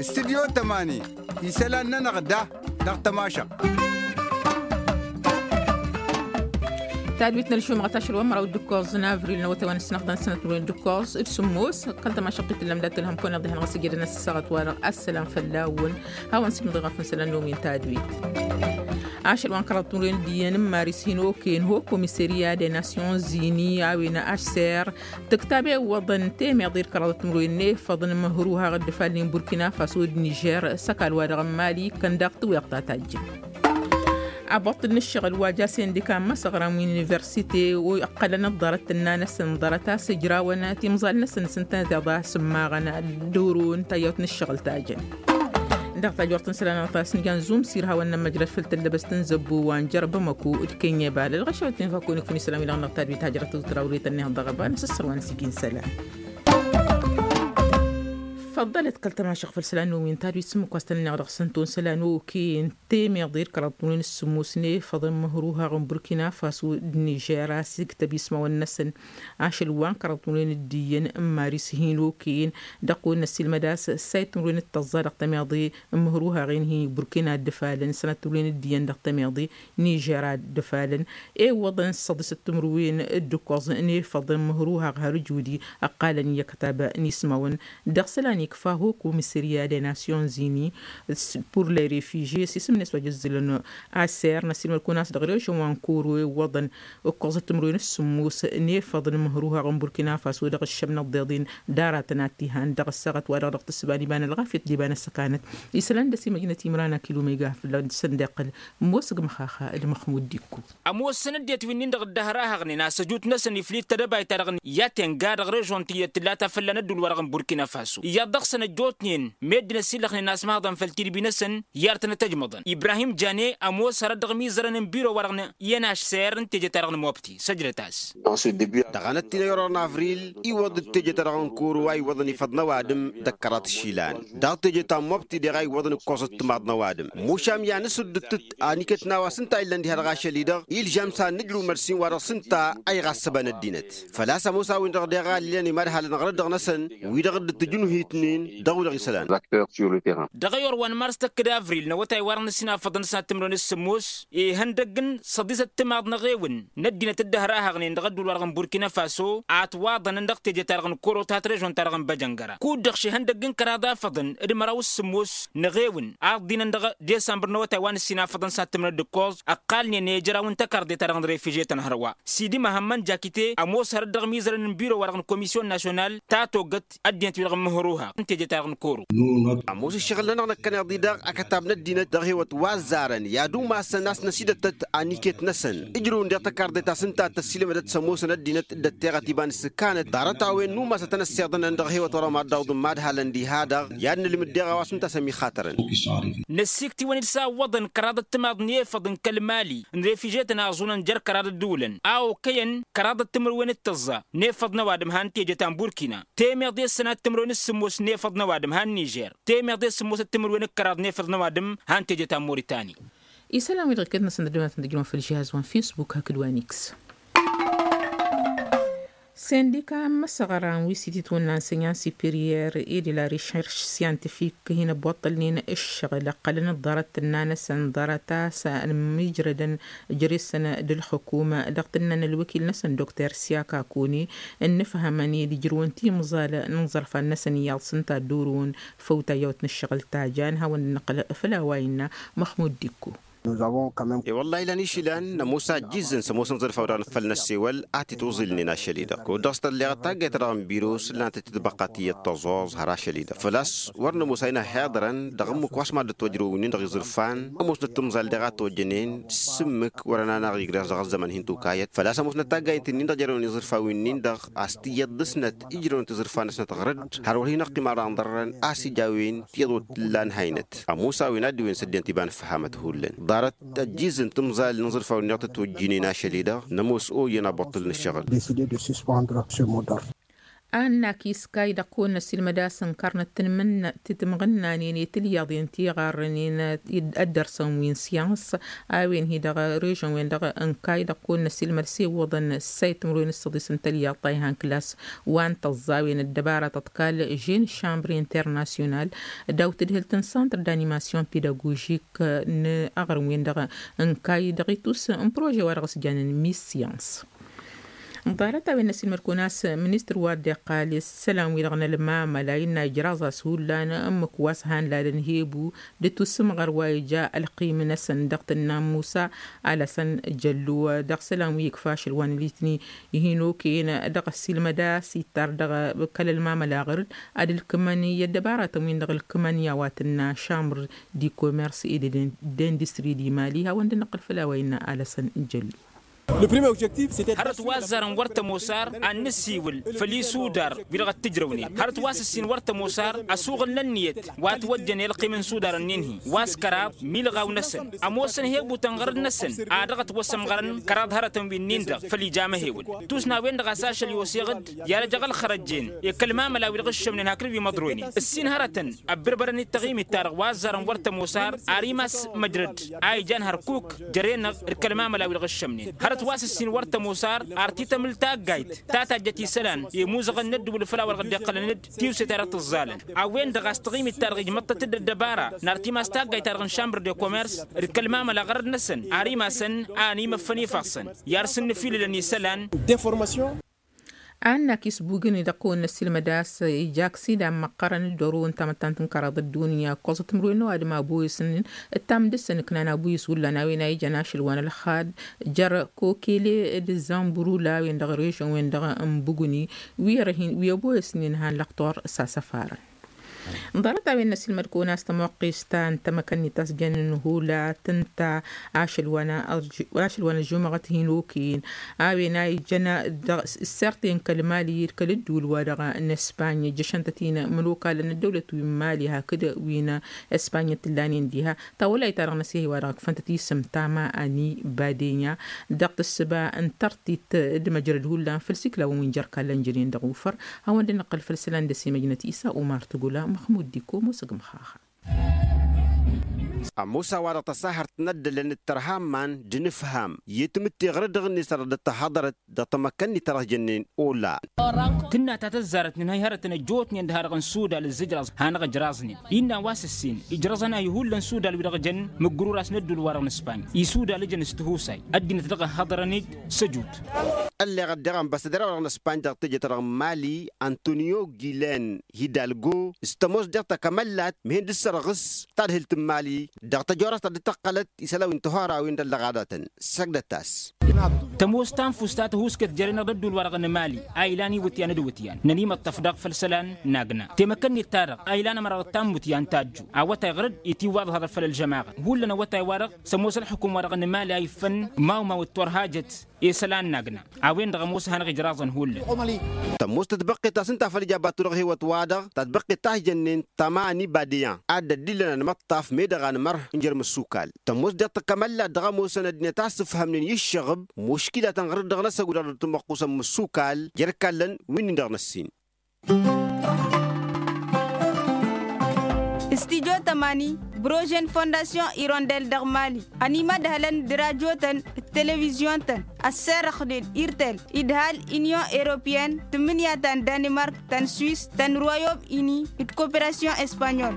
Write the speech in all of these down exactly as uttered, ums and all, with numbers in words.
Studyo tămani isălan-nănăɣ da dăɣ-tămašăɣt. Tadwit n-ălšumăɣăt ašăl wa n-măraw d-ǝkkoẓ n-avril n-awătay wa n-ǝssǝnăɣ d-ăssănăt n-wăren d-ǝkkoẓ d-sǝmmos. Kăl-tămašăɣt i-tǝllăm dat-ălhăm kăwăn-iḍehan ɣas ǝjădăn ăssăɣăt-wa-dăɣ ăssălam fălla-wăn. Hawăn-sǝknǝḍ iɣaf n-isălan n-omin tadwit. Ašăl wa n-kăraḍ timǝrwen d-iyyăn n-maris hinoken ho komiseriya de nasyon zini a-wen ašser tǝktab i-iwwăḍăn temeḍe d-kăraḍăt timǝrwen n-efăḍăn măhruhaɣ d-ǝfalnen burkina faso d-nižer s-ăkall-wa-dăɣ n-mali. Kăn daɣ tǝwweḍ ta tajjăn. Abăṭṭǝl n-ǝššăɣǝl wa ja sendika n-imăsăɣran wi n-universite wi ǝqqălăn ăḍḍarăt tǝnna-năsăn ḍarăt a-s ǝjrawăn timẓal-năsăn s-ǝntănăt iḍa s-ǝmmaɣăn d-oro n-tayyawt n-ǝššăɣǝl tajjăn. Dăɣ-tajort n-isălan a-s nǝjan zumsir hawăn-nămmăjrăd făll-tăllăbăst n-zăbbo wa n-jer-bamăko d-kenyebal ălɣăšăwăt n-efăkko n-ikfǝn isălan wi-dăɣ n-dăɣ tadwit hajrăt d-trawre tănneɣ dăɣ-ăba n-asǝssăr wa n-sijin isălan. Făḍḍălăt kăl-tămašăɣ făll-isălan n-omin tadwit s-ǝmmǝk wa s-tăn-ănneɣ dăɣ-săn ton isălan oken temeḍe d-kăraḍ timǝrwen s-sǝmmos n-efăḍăn măhruhaɣ n-burkina faso d-nižer a-s iktăb ismawăn-năsăn. Ašăl wa n-kăraḍ timǝrwen d-iyyăn n-maris hinoken dăɣ-kăwăn-năsilmăd a-s ǝssayăt timǝrwen d-tăẓẓa dăɣ-temeḍe n-măhruhaɣen hi-burkina dd-ǝfalăn sănăt timǝrwen d-iyyăn dăɣ-temeḍe nižer a dd-ǝfalăn. Iwwăḍăn s-săḍisăt timǝrwen d-ǝkkoẓ n-efăḍăn măhruhaɣ har ǝjudi ăqqalăn i-akătab n-ismawăn. Dăɣ-isălan ikfa ho komiseriya de nasyon zini pur le refižye s-isǝm-net wa jăzzǝlăn aser n-asilmăd kăwăn-as dăɣ-režon wa n-koro iwwăḍăn ǝkkoẓăt timǝrwen s-sǝmmos n-efăḍăn măhruhaɣ n-burkina faso dăɣ-ǝššămnăt d-iḍin d-aratăn ad-t-ihan dăɣ-ăssaɣăt wa-dăɣ dăɣ-tǝssǝba n-iba n-ălɣafyăt d-iba n-ăssăkanăt. Isălan dăr-s imăjnăt imran akilumega fălla-săn d-iqqăl ămoos g-măxaxa d-măxmud d-ikku. Ămoosăn ăddinăt wi-nin-dăɣ dd-ăhrahaɣnen a-s ăjut-năsăn iflid tedăbayt-ta-dăɣ i-ad-tenga dăɣ-režon ti dd-tǝlla ta fălla n-ădduul-wa-dăɣ n-burkina faso iyyăḍ dăɣ-săn ăjjootnen meddǝn ăsillăxnen a-s mahḍăn făll-tidbi-năsăn i-ad-tăn-ătăjmăḍăn. Ibrahim jane ămoos hărăt dăɣ-imizărăn n-biro-wa-dăɣ iyyăn ašser n-teje-ta-dăɣ n-mobti săjdăt-as. Dăɣ-anăt-tin ăyăr n-avril iwwăḍ-dd teje-ta-dăɣ n-koro a iwwăḍăn ifăḍ n-ăwadǝm d-ăkkăraḍ išilan daɣ teje ta n-mobti deɣ a iwwăḍăn ǝkkoẓăt timaḍ n-ăwadǝm mušam i-ad-nǝsǝddǝt-t aniket n-a-wa s-ǝnta a illăn diha-dăɣ ašăl-i-dăɣ ilžam s-ad-nǝjrǝw mărsin wa dăɣ-s ǝnta a iɣassăbăn ăddinăt. Făl-a-s ămoos a-wen-dăɣ deɣ a ăllilăn imadhalăn ɣărăt dăɣ-năsăn wi-dăɣ dd-tǝjǝnuhitnen dăɣ-wi-dăɣ isălan. Dăɣ-ayor wa n-mars tăkk d-avril n-awătay wa dăɣ-nǝssin afăḍăn s-ad-timǝrwen s-sǝmmos ihăndăgg n-săḍisăt timaḍ n-eɣewǝn n-ăddinăt dd-ăhrahăɣnen dăɣ-ădduul-wa-dăɣ n-burkina faso a ătwaḍănăn dăɣ-teje-ta-dăɣ n-koro ta t-režon-ta-dăɣ n-băjăngăra kud-dăɣ šihăndăgg n-kăraḍ afăḍăn d-măraw s-sǝmmos n-eɣewǝn a ǝḍḍinăn dăɣ-desămbăr n-awătay wa n-ǝssin afăḍăn s-ad-timǝrwen d-ǝkkoẓ ăqqalnen i-ijrawăn tăkarḍe-ta-dăɣ n-refije tăn-hărwa. Sidi măhămmăn jakite ămoos hărăt dăɣ-imizărăn n-biro-wa-dăɣ n-komisyon nasyonal ta togăt ăddinăt-wi-dăɣ n-măhruha n-teje-ta-dăɣ n-koro. Ămoos ǝššăɣǝl-nănăɣ năkkăneḍ-i-dăɣ akătab n-ăddinăt dăɣ-hewăt wa ăzzarăn i-ad-umasăn a-s năsidăttăt aniket-năsăn ǝjrǝwăn deɣ tăkarḍe ta s-ǝnta a t-ăssiilmădăt s-ămoosăn ăddinăt dd-ătteɣăt iba n-isǝkkanăt ḍarăt-a-wen n-umasătăn ăssiiḍănăn dăɣ-hewăt wărăn wa dd-awǝḍǝm madhalăn diha-dăɣ i-ad-nǝlmǝd deɣ a-wa s-ǝnta a-s ămiixatărăn. Năssiiktiwăn-dd s-a ǝwwăḍăn kăraḍăt timaḍ n-efăḍ n-kăl-mali n-refiže-tăn a ăẓunăn jer-kăraḍăt d-ulăn a okăyăn kăraḍăt timǝrwen d-tăẓẓa n-efăḍ n-ăwadǝm han teje ta n-burkina temeḍe s-sănat timǝrwen d-sǝmmos n-efăḍ n-ăwadǝm han nižer temeḍe s-sǝmmosăt timǝrwen d-kăraḍ n-efăḍ n-ăwadǝm han teje ta n-moritani. Isălan-wi-dăɣ iket-năsăn dd-ăddumatăn tǝjrǝwăn făll-žihaz wa n-fisbuk hakd wa n-iks. Sendika n-imăsăɣran wi s-ititwǝnna n-sănyan siperiyăr e de la recherš syantifik hin-ăbbuṭṭălnen ǝššăɣǝl ǝqqălăn ăḍḍarăt tǝnna-năsăn ḍarăt a-s ănmijrădăn jere-săn d-ǝlxǝkum dăɣ-tǝnna n-ălwăkil-năsăn dokter siyaka koni ǝnnǝfhămăn i-ad-ǝjrǝwăn timẓal n-inẓărfan-năsăn iyyăḍ s-ǝnta dd-orǝwăn făw tayyăwt n-ǝššăɣǝl ta jan hawăn-dd-năqqăl făll-a-wa innă măxmud d-ikku. E-wălla-hi lan išilan nămoos a ăjjizzǝn s-ămoosăn iẓrǝf a-wa dăɣ-nǝffăl n-ăssewăl a t-itwăẓilnen ašăl-i-dăɣ kud-dăɣ s-tălleɣăt taggayt-ta-dăɣ n-biro s-ǝllanăt-t tǝtbăqqa tiyyăt tăẓoẓ har ašăl-i-dăɣ făl-a-s wăr nămoos a inhăyăḍărăn dăɣ-ǝmmǝk wa s-mad-dd-ătwăjrăw wi-nin-dăɣ iẓrǝfan ămoosnăt timẓal deɣ a tojjănen s-ǝmmǝk wăr-ănanăɣ igres dăɣ-ăzzăman hin-tukayăt făl-a-s ămoosnăt taggayt-nin-dăɣ jerăwăn iẓrǝfan wi-nin-dăɣ a-s tiyyăt dăr-snăt ijrăwăn tiẓrǝfan-năsnăt ɣăr-dd har wăr hin-ăqqim ara ănḍărrăn a-s ija a-wen tiyyăḍ wăr t-tǝlla ǝnhăynăt ămoos a-wen a dd-iwǝyăn s-ăddinăt iba n-ǝffăhamăt hullan ḍarăt ăjjizzǝn timẓal n-iẓrǝfan wi-nin-dăɣ tătwăjjinen ašăl-i-dăɣ nămoos oyyăn abuṭṭǝl n-ǝššăɣǝl. Annak iskay dăɣ-kăwăn-năsilmăd a-s ǝnkărnăt tǝnmǝnna tǝtmɣǝnnanen i-tǝlyaḍen tiɣarrănen ăddărsăn wi n-syăns a-wen hi-dăɣ režăn-wen-dăɣ ǝnkay dăɣ-kăwăn-năsilmăd s-ewwăḍăn ǝssay timǝrwen s-săḍis n-tălyaḍt ta ihăn klas wa n-tăẓẓawen ăddăbara tăḍkal žen šambri internasyonal. Daw-tǝdhǝlt n-santr d-animasyon pedagožik n-aɣrǝm-wen-dăɣ ǝnkay dăɣ-itus n-prože wa dăɣ-s janen misyăns. Ḍarăt a-wen n-asilmăd kăwăn-as ministăr wa dd-iqqal s-isălan-wi-dăɣ n-ălmamăla innă ijraẓ-as hullan ǝmmǝk wa s-han lalăn hebu d-tusǝmɣăr wa ija ălqim-năsăn dăɣ-tǝnna n-musa alasăn jăllu dăɣ-isălan wi ikfa ašăl wa n-ălitni. Ihin okăyăn dăɣ-asilmăd a-s ittar dăɣ-kăl-ălmamăla ɣǝr-dd ad-ǝlkǝmăn i-ăddăbaratăn-win-dăɣ ǝlkǝmăn i-a-wa tǝnna šamr di komers i-d-industri di mali hawăn-dd-năqqǝl făll-a-wa innă alasăn jăllu. Hărăt wa ăzzarăn wăr tămoos ar ad-nǝsiwǝl făll-isudar wi-dăɣ ăttǝjrăwnen hărăt wa s-ǝssin wăr tămoos ar ăsuɣǝl n-ănniyăt wa ătwăjjăn i-ălqim n-isudar-ǝnnin-hi wa s-kăraḍ milɣaw-năsăn ămoosăn hebu tănɣărăd-năsăn. Ad-dăɣ-ătwăsămɣărăn kăraḍ hărătăn wi-nin-dăɣ făll-ija măhewăl tusna-wen-dăɣ a-s ašăl i-oseɣ-dd i-ad-ăj aɣălxărăjjen i-kăl-mamăla wi-dăɣ ǝššămnen hakd wi măḍroynen ǝssin hărătăn. Ăbbărbărăn d-taɣimit-ta-dăɣ wa ăzzarăn wăr tămoos ar ar imas măjrăd a ijan hărkuk jăre-năɣ d-kăl-mamăla wi-dăɣ ǝššămnen hărăt wa s-ǝssin wăr tămoos ar ar t-itămǝl taggayt ta tajjăt isălan i-imuzăɣăn n-ăddǝwǝl făll-a-wa dăɣ-dd-iqqălăn d-tiwse-ta-dăɣ tǝẓẓalăn. A-wen-dăɣ a-s taɣimit-ta-dăɣ ijmăḍ-tăt-dd ăddăbara n-ar t-imas taggayt-ta-dăɣ n-šambr de komers d-kăl-mamăla ɣărăd-năsăn ar imasăn a ănimăffăn ifassăn i-ar sǝnnǝfilǝlăn isălan. Annak isbugǝn-i dăɣ-kăwăn-năsilmăd a-s ija aksidan măqqărăn d-oro n-tamăttant n-kăraḍ ăddunya ǝkkoẓăt timǝrwen n-ăwadǝm abo isǝnnin d-tamdǝssăn ǝknan abo iswǝllan a-wen a ijăn ašăl wa n-ălxad jer-kokele d-zamburu la a-wen-dăɣ režăn-wen-dăɣ n-bugǝni wi ărhin wi ăbo isǝnnin han lăqtor s-asăfarăn. Ḍarăt a-wen n-ăsilmăd kăwăn-as tămoqqist ta n-tamăkănnit ta s-jănnen hula tǝnta ašăl wa n-ašăl wa n-ăžžumăɣăt hin-okăyăn a-wen a ijăn dăɣ-s ǝsserten kăl-mali d-kăl-ǝddǝwǝl wa dăɣ-n ăspanya ǝjjăšăn-tăt-in mănokalăn n-ăddăwlăt wi n-mali hakd wi n-ăspanya t-ǝllanen diha. Tawălay-ta-dăɣ n-ăsihăy wa dăɣ-ǝkfăn-tăt isǝm tama ani badenya dăɣ-tǝssǝba n-tărtit d-măjrăd hullan făll-siklawăn wi n-jer-kallăn jănen dăɣ-ufăr. Hawăn-dd-năqqǝl făll-isălan d-ăsimăjnăt isa umar tǝgula măxmud diko mosăg măxaxa. Ămoos a-wa-dăɣ tăsahărt n-ăddălăn d-tărha n-iman d-inǝfham i-tamǝtte ɣur-dd-dăɣ-net a dăɣ-dd-tăhhăḍărăt dăɣ-tamăkka-net ta dăɣ-jănnen. Ola. Tǝnna ta tăzzarăt nǝnhăy hărătăn ăjjootnen d-ha-dăɣ n-sudal ǝzzǝjrăẓ hanăɣ-ǝjraẓnen innă a-wa s-ǝssin ijrăẓăn-ahi hullan sudal wi-dăɣ jăn mǝggǝruras n-ădduul-wa-dăɣ n-ispany isudal ǝjăn s-tihusay ăddinăt dăɣ-ăhhăḍărăn-dd. Săjut. Ălleɣăt daɣ ănbasădăr-a-wa dăɣ-n ăspany dăɣ-teje-ta-dăɣ n-mali antonio gilen hidalgo s-tămoos dăɣ-takămăllat mihen d-ǝssărɣǝs tadhǝlt n-mali dăɣ-tăjorast ta dd-tăqqălăt isălan wi n-tihora-wen d-ăllăɣadatăn. Săgdăt-as. Tămoos tanfust ta tăhuusket jere-năɣ d-ădduul-wa-dăɣ n-mali a ilan iwǝtyan d-iwǝtyan n-ănimăṭṭăf daɣ făll-isălan n-agna temăkănnit-ta-dăɣ a ilan ămăra dăɣ-tammut i-antăjju awătay ɣur-dd itiwwaḍ haḍăr făll-ălžămaɣăt hullan awătay-wa-dăɣ s-ămoos ălxukum-wa-dăɣ n-mali a iffăn mawmaw d-turhajăt i-isălan n-agna. A-wen-dăɣ ămoos a hanăɣ-ijraẓăn hullan. Tămoos tătbăqqet ta s-ǝnta făll-ija batu dăɣ-hewăt-wa-dăɣ tătbăqqet ta s-jănnen tămani badeyan ad-dd-illăn ănmăṭṭaf meddăɣ anmăr n-jer-imǝssukal. Tămoos daɣ tăkămăllat dăɣ-ămoosăn ăddinăt a ăssǝfhămnen i-ǝššăɣǝb muškilatăn ɣur-dd dăɣ-năsăggu dăɣ-dd-tǝmmăqqusăn imǝssukal jer-ikallăn wi-nin-dăɣ n-ǝssin. Studyo tămani brožen fondasyon irondel dăɣ-mali ănimădhălăn d-rajotăn d-televizyon-tăn ăsserăxnen irtel idhal inyon europeyăn tǝmmǝnǝya ta n-danimark ta n-swis ta n-royom ini d-koperasyon espanyol.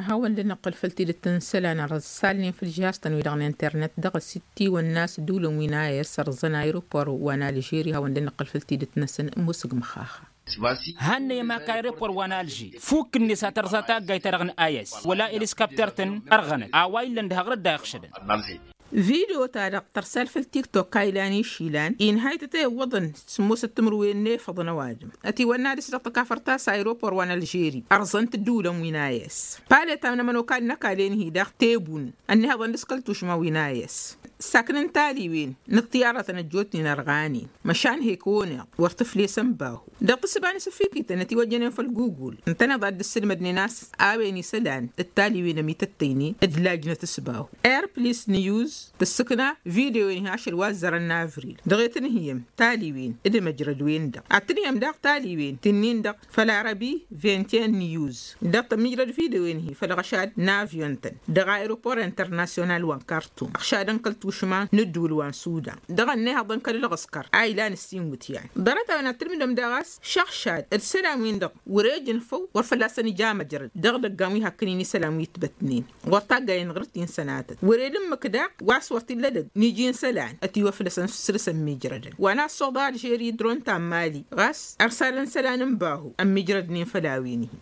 Hawăn-dd-năqqǝl făll-tidǝt n-isălan ărsalnen făll-žihaz-tăn-wi-dăɣ n-internet dăɣ-s ittiwănna s-ǝddǝwǝlăn wi n-a s-ărẓăn aeropor wa n-alžeri hawăn-dd-năqqǝl făll-tidǝt-năsăn musǝgmăxaxa. Hannăy ămakal aeropor wa n-alže fukk-net a tărẓa taggayt-ta-dăɣ n-a s wăla eliskapter-tăn ărɣănăt a-wa illăn d-haɣrăt da iɣšădăn. Video-ta-dăɣ tărsal făll-tiktok a ilan išilan inhăy tătewwăḍăn s-ămoosăt timǝrwen n-efăḍăn ăwadǝm ătiwănna dăɣ-s dăɣ-tăkafărt ta s-aeropor wa n-alžeri ărẓăn-t ǝddǝwǝlăn wi n-a s palet a n-ămănokal n-ăkall-en-hi daɣ tebun ănnihăḍăn dăɣ-s kăl-tušma wi n-a s. Saknăn taliwen n-ăṭṭiyarătăn ăjjootnen ărɣanen măšan hek-oneḍ wăr tǝflesăn bahu. Dăɣ-tǝssǝba n-asǝffikităn ătiwăjjănen făll-gugul ǝntăneḍ a dd-ǝssǝlmădnen a-s a-wen isălan d-taliwen ămităttăynen d-lajnăt s-bahu. Air plis niyuz tǝssǝkna video-en-hi ašăl wa ăzzărăn n-avril dăɣ-e tǝnhǝyăm taliwen d-imăjrăd-wen-dăɣ ad-tǝnhǝyăm daɣ taliwen ti-nin-dăɣ făll-arăbi. Vingt et un niyuz dăɣ-tămmijrăd video-en-hi făll-ɣăšad n-avyon-tăn dăɣ-aeroport internasyonal wa n-kartum ăɣšadăn kăl-tušma n-ǝddǝwǝl wa n-sudan dăɣ-ănnihăḍăn kăl-ǝlɣǝskăr a ilan ǝssin iwǝtyan. Ḍarăt-a-wen ad-tǝlmǝdăm daɣ a-s šăɣšad d-isălan-win-dăɣ wăr-e ǝjǝnfăw wăr fălla-săn ija măjrăd dăɣ-idăggan wi hakkăn-in isălan wi ǝtbătnen ɣur-taggayen ɣǝr-t-in sănatăt wăr-e d-ǝmmǝk daɣ wa s-wăr t-illa dăgg n-iji n-isălan ătiwăflăsăn săr-s ămmiijrădăn wa n-assăḍa alžeri d-ron tammali ɣas ărsalăn isălan n-bahu ămmiijrădnen făll-a-wen-hi.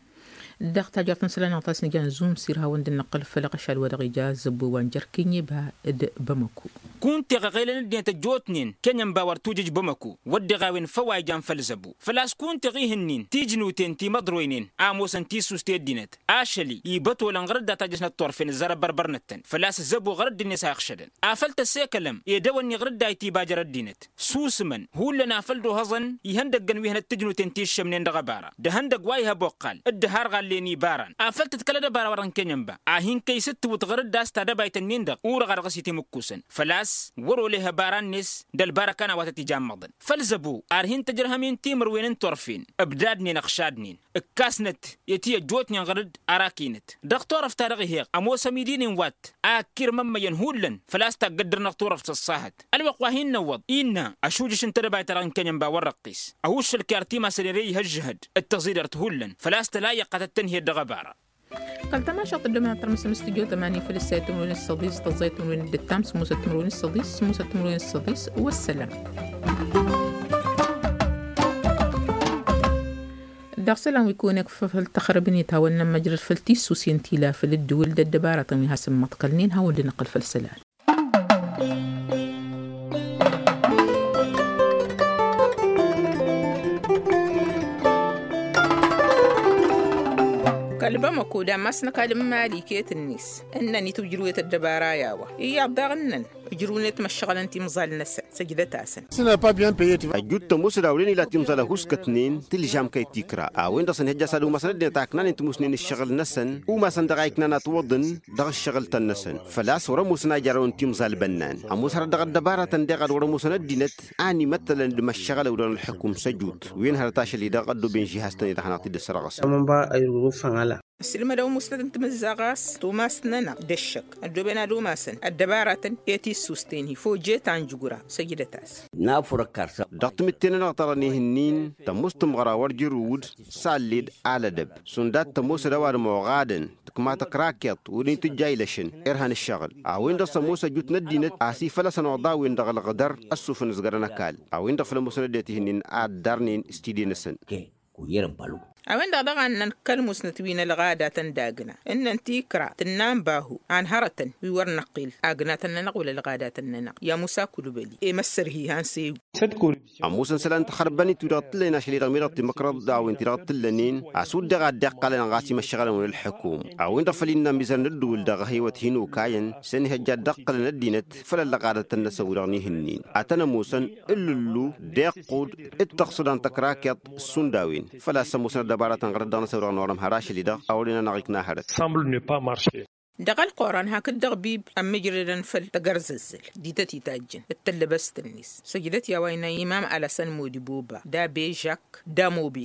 Dăɣ-tajert n-isălan-năɣ ta s-nǝja n-zumsir hawăn-dd-nǝqqǝl făll-aɣăšad wa dăɣ-ija zăbbo wa n-jer-kănyeba d-bamăko. Kunteɣ iɣelăn ăddinăt ăjjootnen kănyănba wăr tujǝj bamăko wădden a-wen făw a ijan făll-zăbbo făl-a-s kunteɣ ihǝnnin tijnuten ti măḍroynen a ămoosăn tissust i-ăddinăt ašăl-i ibătolăn ɣăr dd-atajăsnăt turfen ǝzzar ăbbărbărnăt-tăn făl-a-s zăbbo ɣăr dd-net a iɣšădăn afăl tăssekălăm edăwănni ɣăr dd-a itibajăr ăddinăt. Susǝmăn hullan afăl d-ohăẓăn ihăndăggăn wi hănăt tǝjnuten ti ǝššămnen dăɣ-ăbara d-ehăndăgg wa ih' ăboqqal d-dd-harɣallen ibaran afăl tǝḍkălăd ăbara wa dăɣ-n kănyănba a hin-kăy-sǝttǝwǝt ɣăr dd-a-s tadăbayt-ǝnnin-dăɣ urăɣ a dăɣ-s itimǝkkusăn făl-a-s wăr-oleh ăbara-net d-ălbarăkan a-wa tăt-ijammăḍăn. Făl zăbo ar hin-tăjrăhăm-in timǝrwen n-turfen ǝbdadnen ăɣšadnen ǝkkasnăt i-ti ăjjootnen ɣăr dd-ara kinăt dăɣ-turăft-ta-dăɣ ih'-eɣ ămoos ămidi-nin wa t-a ăkkirmămmăyăn hullan făl-a-s taggăddăr-năɣ turăft s-ăṣṣahăt. Ălwăqq wa hin-năwwăḍ innă ašujǝš n-tedăbayt-ta-dăɣ n-kănyănba wăr-răqqis ăhuššăl-k i-ar timasănen i-ăžžăhăd d-tăẓidărt hullan făl-a-s tăla iyyăq a tăt-tăn-hi-dd dăɣ-ăbara. Kăl-tamašalt ăddooben ad-tărmǝsăm s-tijot ămani făll-ǝssayăt timǝrwen s-săḍis tăẓẓayăt timǝrwen d-ǝttam s-musăt timǝrwen s-săḍis s-musăt timǝrwen s-săḍis. Wăssălam. Dăɣ-isălan wi kăwăn-ikfăf făll-tăxrăbnet hawăn-nămmăjrăd făll-tissusen ti la făll-ǝddǝwǝl d-ăddăbaratăn wi hasăn-măḍkălnen hawăn-dd-năqqǝl făll-isălan. Kăl-bamăko d-ammas n-ăkall n-mali iket-net ǝnnăn itwǝjrǝwet ăddăbara i-a-wa iyyăḍ daɣ ǝnnăn ǝjrǝwnet măššăɣǝlăn timẓal-năsăn. Săjdăt-asăn. Ăjjuut tămoos d-awren ila timẓal ăhuuskătnen tǝlžam kăy-tikra a-wen-dăɣ săn ihăjja s-ad-umasăn ăddinăt a ǝknanen tǝmusnen ǝššăɣǝl-năsăn umasăn dăɣ-a iknan atwăḍăn dăɣ-ǝššăɣǝl-tăn-năsăn. Făl-a-s wăr-ămoosăn a ijărrăwăn timẓal bănnan ămoos hărăt dăɣ-ăddăbarătăn deɣ ad-wăr-ămoosăn ăddinăt a n-imăttălăn d-imăššăɣălăw dăɣ-nălxǝkum s-ăjut wen hărăt ašăl-i-dăɣ ăddooben žihaz-tăn-i-dăɣ hanăɣ-t-dd-ăssărɣăsăn. Ăssilmădăw musnăt n-timǝzzaɣ a-s tumas-nănăɣ d-ăššăk ăddooben ad-umasăn ăddăbarătăn i-tissust-en-hi fojet anjǝgura. Săjdăt-as. Dăɣ-timǝtte-nănăɣ ta dăɣ-nihǝnnin tămoos tǝmɣăra wăr jărǝwǝd s-alled alădăb šund ad-tămoosăd ăwadǝm oɣadăn tǝkma tăkrakeḍt wăr-in tǝjja ilăšăn irha n-ǝššăɣǝl. A-wen-dăɣ s-ămoos ăjut n-ăddinăt a-s ifălăsăn oḍa-wen-dăɣ ălɣǝdăr ăssufăn ǝzgărăn ăkall. A-wen-dăɣ făl ămoosăn ăddinăt ihǝnnin ad-darnen s-tide-năsăn. A-wen-dăɣ daɣ a ǝnnăn kăl-musnăt wi n-ălɣadatăn d-agna ǝnnăn tikra tǝnna n-bahu a n-hărătăn wi wăr năqqel agnatăn-nănăɣ wăla ălɣadatăn-nănăɣ i-amusa kulbăli i-măssărhi han s-ew. Ămoosăn isălan n-taxărbănit-wi-dăɣ t-ǝllănen ašăl-i-dăɣ mi-dăɣ timăkrăḍt d-a-wen-ti-dăɣ t-ǝllănen a-s uddeɣ a dd-iqqalăn ɣas imăššăɣălăn wăla ălḥukum. A-wen-dăɣ făl innă ămizăr n-ǝddǝwǝl dăɣ-ehăywăt hin-okayăn s-ănihăjja dd-ăqqălăn ăddinăt făll-ăllăɣadăt-tăn-năsăn wi-dăɣ n-ihǝnnin ad-tăn-ămoosăn ǝllǝllu d-iqqud d-tăɣsǝda n-tăkrakeḍt šund a-wen. Făl-a-s ămoosăn ăddăbaratăn ɣărăt dăɣ-năsăn wi-dăɣ n-orăm har ašăl-i-dăɣ a wăren-anăɣ ikna hărăt. Dăɣ-ălquran hakd-dăɣ bib ămmijrădăn făll-tăgărzăzzăl di tăt-itajjăn d-tăllăbăst-net. Săjdăt i-a-wa innă imam alăsăn modiboba d-abe žak d-amobe.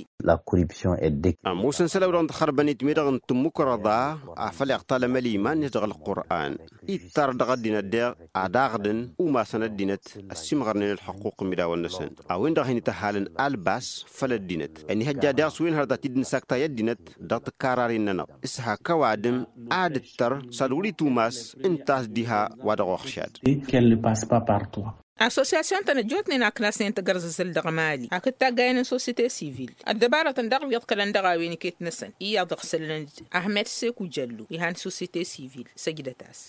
Ămoosăn isălan wi-dăɣ n-taxărbănit mi-dăɣ n-tǝmmǝkrăḍa afăl iɣtalăm ăliman-net dăɣ-ălquran ittar dăɣ-ăddinăt deɣ ad-aɣdǝn umasăn ăddinăt ăssiimɣărnen ălxăqquq n-imidawăn-năsăn. A-wen-dăɣ a hin-ităhalăn albas făll-ăddinăt ănihăjja deɣ s-wen hărăt ad-t-dd-nǝsakta i-ăddinăt dăɣ-tǝkkararin-nănăɣ s-hak ăwadǝm ad-ǝttăr s-ad-wăr-itumas ǝnta a-s diha wa dăɣ-oxšad. Associasyon-tăn ăjjootnen a ǝknasnen tagărzăzăl dăɣ-mali hakd taggayen n-sosite sivil ăddăbarătăn daɣ wi iḍkălăn dăɣ-a-wen iket-năsăn iyyăḍ ăɣsălăn-dd ahmed seku jăllu ihan sosite sivil. Săjdăt-as.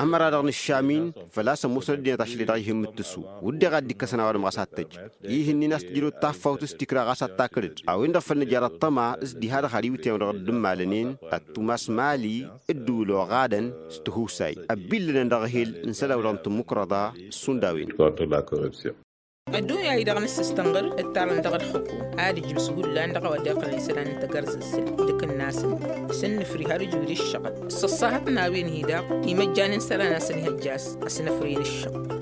Ămăra-dăɣ nǝššam-in făl-a-s ămoosăn ăddinăt ašăl-i-dăɣ ih'-in mǝttǝsu. Wǝdden ad-dd-ikkăsăn a-wa dăɣ-măɣas ad-tăjj. Ih'-ǝnnin a-s tǝjrăwăt taffawt s-tikrăɣ a-s ad-takǝlăd a-wen-dăɣ făl nǝjar ăṭṭăma s-diha-dăɣ har iwǝtyan-wi-dăɣ dd-ǝmmalănen ăttumas mali ǝddǝwǝl oɣadăn s-tihusay ăbbi ǝllănăn dăɣ-ehel n-isălan-wi-dăɣ n-tǝmmǝkrăḍa. S-hundăwen. Ăddunya-i-dăɣ n-ǝssǝstănɣăr ǝttarăn dăɣ-ălxǝkum ad-ǝjbǝs hullan dăɣ-a-wa dd-iqqălăn isălan n-tagărzăzzǝl d-akǝnnasăn s-ǝnnǝfri har ǝjud ǝššăɣǝl s-ăṣṣahăt n-a-wen-hi-daɣ imăjjan n-isălan a-s ănihăjja a-s ăsnăfrăyăn ǝššăɣǝl.